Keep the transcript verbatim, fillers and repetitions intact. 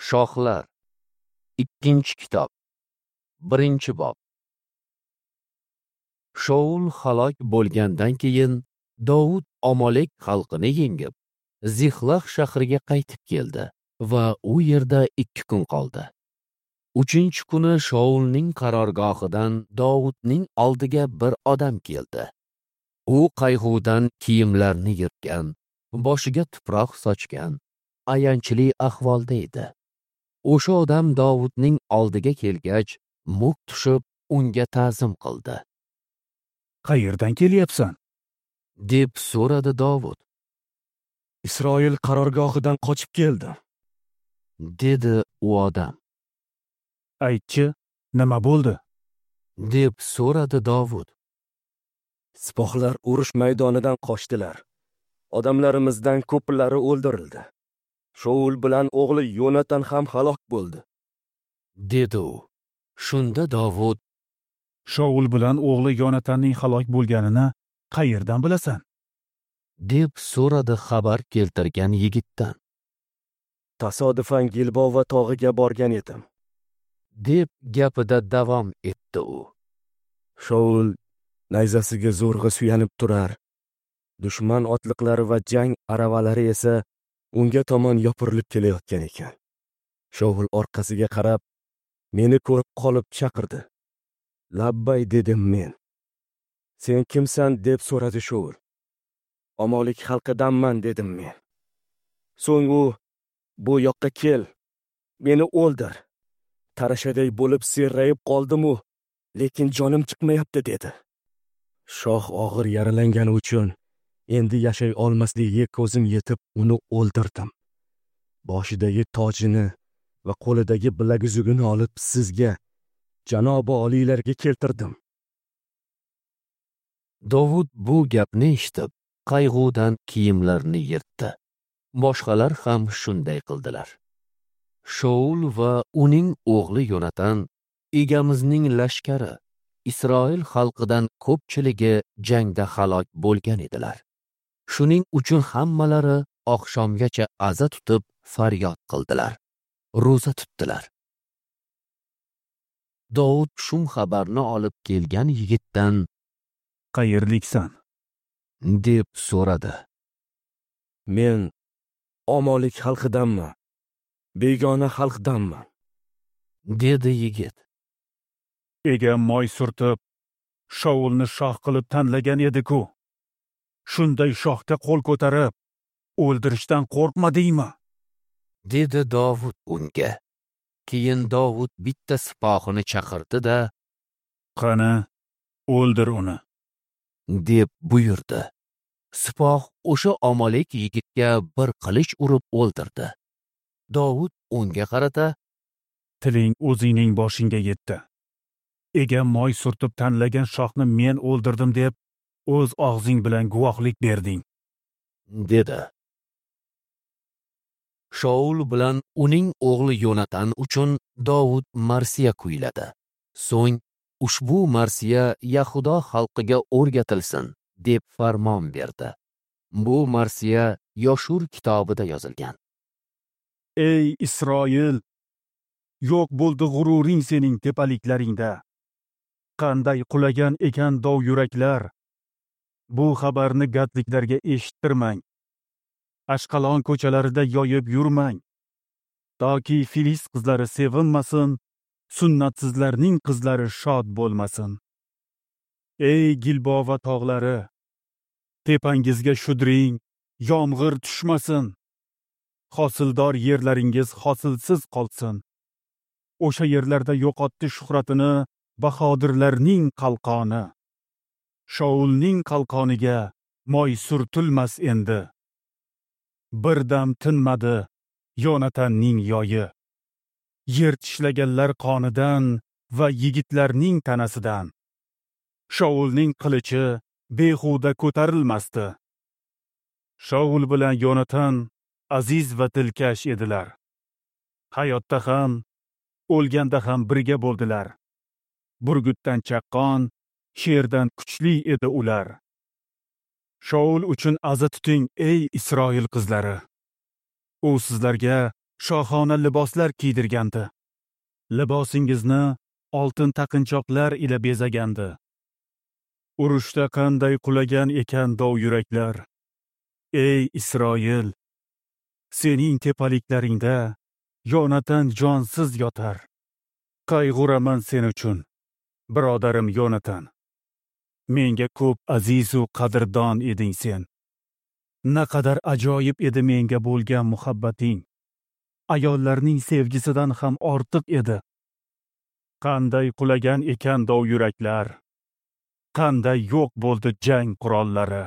Shohlar. Ikkinchi kitob. Birinchi bob. Shaul halok bo'lgandan keyin Dovud Amalek xalqini yengib, Zixlaq shahriga qaytib keldi va u yerda ikki kun qoldi. Uchinchi kuni Shaulning qarorgohidan Dovudning oldiga bir odam keldi. U qayg'udan kiyimlarini yirtgan, boshiga tuproq sochgan, ayanchli ahvolda edi. O'sha odam Dovudning oldiga kelgach, muk tushib unga ta'zim qildi. Qayerdan kelyapsan? Deb so'radi Dovud. Isroil qarorgohidan qochib keldim, dedi u odam. Aytchi, nima bo'ldi? Deb so'radi Dovud. Sipohlar urush maydonidan qochdilar. Odamlarimizdan ko'plari o'ldirildi. Shaul bilan o'g'li Yonatan ham halok bo'ldi, dedi u. Shunda Dovud: Shaul bilan o'g'li Yonatanning halok bo'lganini qayerdan bilasan? Deb so'radi xabar keltirgan yigitdan. Tasodifan Gilbova tog'iga borgan edim, deb gapida davom etdi u. Shaul nayzasiga zo'rg'a suyanib turar. Dushman otliqlari va jang aravalari esa unga tomon yopirilib kelayotgan ekan. Shaul orqasiga qarab, meni ko'rib qolib chaqirdi. Labbay dedim men. Sen kimsan deb so'radi Shaul. Amalek xalqidanman dedim men. So'ng u, bu yoqqa kel, meni o'ldir. Tarashaday bo'lib serrayib qoldim-u, lekin jonim chiqmayapti dedi. Shoh og'ir yaralangani uchun endi yashay olmasligiga ko'zim yetib uni o'ldirdim. Boshidagi tojini va qo'lidagi bilaguzugini olib sizga, janobi oliylarga keltirdim. Dovud bu gapni eshitib, qayg'udan kiyimlarini yirtdi. Boshqalar ham shunday qildilar. Shaul va uning o'g'li Yonatan egamizning lashkari Isroil xalqidan ko'pchiligi jangda halok bo'lgan edilar. Shuning uchun hammalari oqshomgacha aza tutib faryod qildilar, ro'za tutdilar. Dovud shum xabarni olib kelgan yigitdan: Qayerliksan? Deb so'radi. Men Amalek xalqidanman, begona xalqdanman, dedi yigit. Egam moy surtib, Shaulni shoh qilib tanlagan edi-ku. Shunday shohga qo'l ko'tarib, o'ldirishdan qo'rqmadingmi? Dedi Dovud unga. Keyin Dovud bitta sipohini chaqirdi-da, Qani, o'ldir uni, deb buyurdi. Sipoh o'sha Amalek yigitga bir qilich urib o'ldirdi. Dovud unga qarata: Tiling o'zingning boshingga yetdi. Egam moy surtib tanlagan shohni men o'ldirdim deb o'z og'zing bilan guvohlik berding, dedi. Shaul bilan uning o'g'li Yonatan uchun Dovud marsiya kuyladi. So'ng ushbu marsiya Yahudo xalqiga o'rgatilsin deb farmon berdi. Bu marsiya Yoshur kitobida yozilgan. Ey Isroil, yo'q bo'ldi g'ururing sening tepaliklaringda. Qanday qulagan ekan dov yuraklar. Bu xabarni gadliklarga eshittirmang. Ashqalon ko'chalarida yoyib yurmang. Toki Filist qizlari sevinmasin, sunnatsizlarning qizlari shod bo'lmasin. Ey Gilbova tog'lari, tepangizga shudring, yomg'ir tushmasin. Hosildor yerlaringiz hosilsiz qolsin. O'sha yerlarda yo'qotdi shuhratini bahodirlarning qalqoni. Shaulning qalqoniga moy surtilmas endi. Bir dam tinmadi Yonatanning yoyi. Yer tishlaganlar qonidan va yigitlarning tanasidan. Shaulning qilichi behuda ko'tarilmasdi. Shaul bilan Yonatan aziz va dilkash edilar. Hayotda ham, o'lganda ham birga bo'ldilar. Burgutdan chaqqon, sherdan kuchli edi ular. Shaul uchun aza tuting, ey Isroil qizlari. U sizlarga shohona liboslar kiydirgandi. Libosingizni oltin taqinchoqlar ila bezagandi. Urushda qanday qulagan ekan dov yuraklar. Ey Isroil, sening tepaliklaringda Yonatan jonsiz yotar. Qayg'uraman sen uchun, birodarim Yonatan. Menga ko'p aziz u qadrdon eding sen. Naqadar ajoyib edi menga bo'lgan muhabbating. Ayollarning sevgisidan ham ortiq edi. Qanday qulagan ekan dov yuraklar. Qanday yo'q bo'ldi jang qurollari.